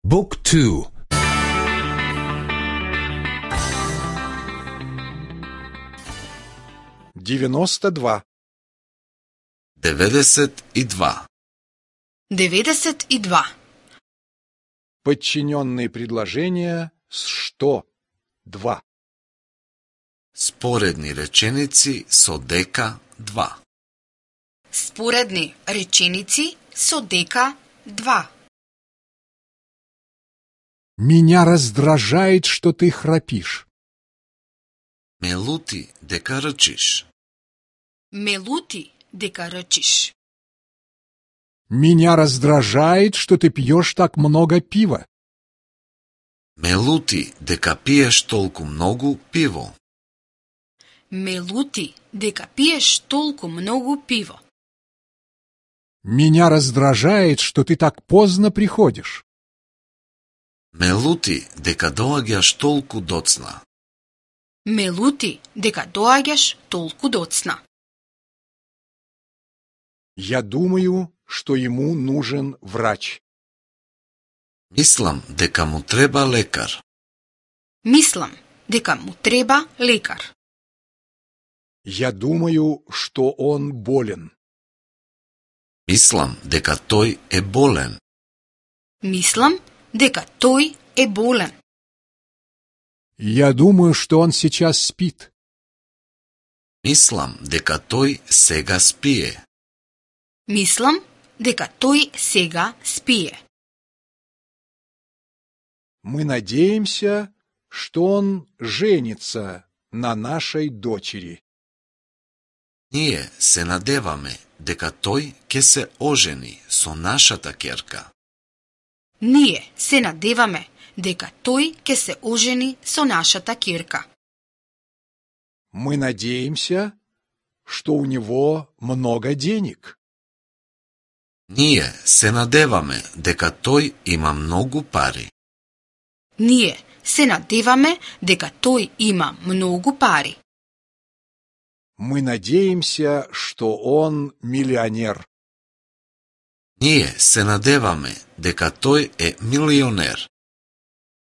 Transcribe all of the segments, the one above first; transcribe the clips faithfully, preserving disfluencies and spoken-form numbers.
Book two. девяносто два. деветдесет и два. деветдесет и два. Подчиненные предложения с что? Два. Споредни реченици со дека два. Споредни реченици со дека два. Меня раздражает, что ты храпишь. Ме лути дека рчиш. Ме лути дека рчиш. Меня раздражает, что ты пьешь так много пива. Ме лути дека пиеш толку многу пиво. Ме лути дека пиеш толку многу пиво. Меня раздражает, что ты так поздно приходишь. Ме лути дека доаѓаш толку доцна. Ме лути дека доаѓаш толку доцна. Я думаю, что ему нужен врач. Мислам дека му треба лекар. Мислам дека му треба лекар. Я думаю, что он болен. Мислам дека тој е болен. Мислам дека тој е болен. Я думаю, что он сейчас спит. Мислам дека тој сега спие. Мислам дека тој сега спие. Мы надеемся, что он женится на нашей дочери. Ние се надеваме дека тој ќе се ожени со нашата ќерка. Ние се надеваме дека тој ќе се ожени со нашата ќерка. Мы надеемся, что у него много денег. Ние се надеваме дека тој има многу пари. Ние се надеваме дека тој има многу пари. Мы надеемся, что он миллионер. Ние се надеваме дека тој е милионер.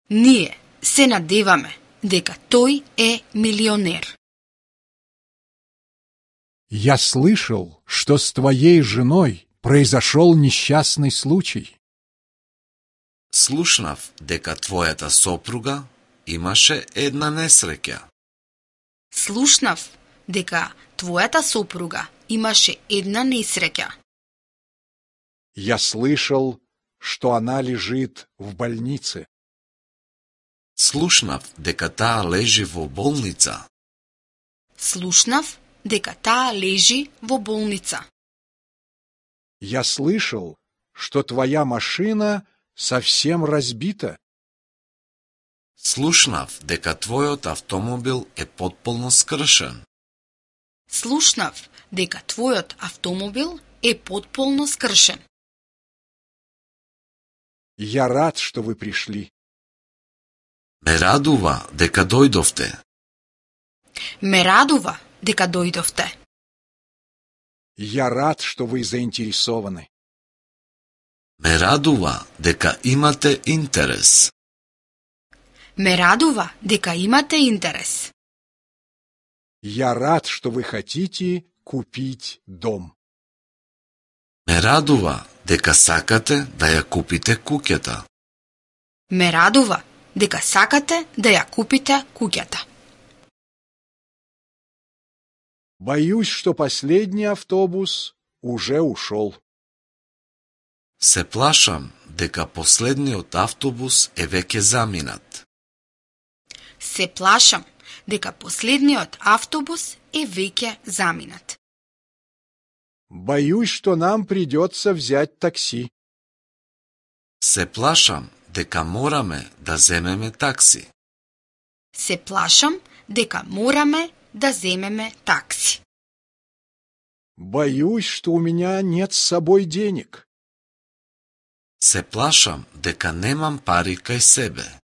Ние се надеваме дека тој е милионер. Я слышал, что с твоей женой произошел несчастный случай. Слушнав дека твојата сопруга имаше една несреќа. Слушнав дека твојата сопруга имаше една несреќа. Я слышал, что она лежит в больнице. Слушнав дека таа лежи во болница. Слушнав дека таа лежи во болница. Я слышал, что твоя машина совсем разбита. Слушнав дека твојот автомобил е потполно скршен. Слушнав дека твојот автомобил е потполно скршен. Я рад, что вы пришли. Ме радува дека дојдовте. Ме радува дека дојдовте. Я рад, что вы заинтересованы. Ме радува дека имате интерес. Ме радува дека имате интерес. Я рад, что вы хотите купить дом. Ме радува дека сакате да ја купите куќата. Ме радува дека сакате да ја купите куќата. Боюсь, что последний автобус уже ушел. Се плашам дека последниот автобус е веќе заминат. Се плашам дека последниот автобус е веќе заминат. Боюсь, что нам придется взять такси. Се плашам дека мораме да земеме такси. Се плашам дека мораме да земеме такси. Боюсь, что у меня нет с собой денег. Се плашам дека немам пари кај себе.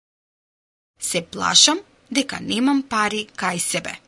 Се плашам дека немам пари кај себе.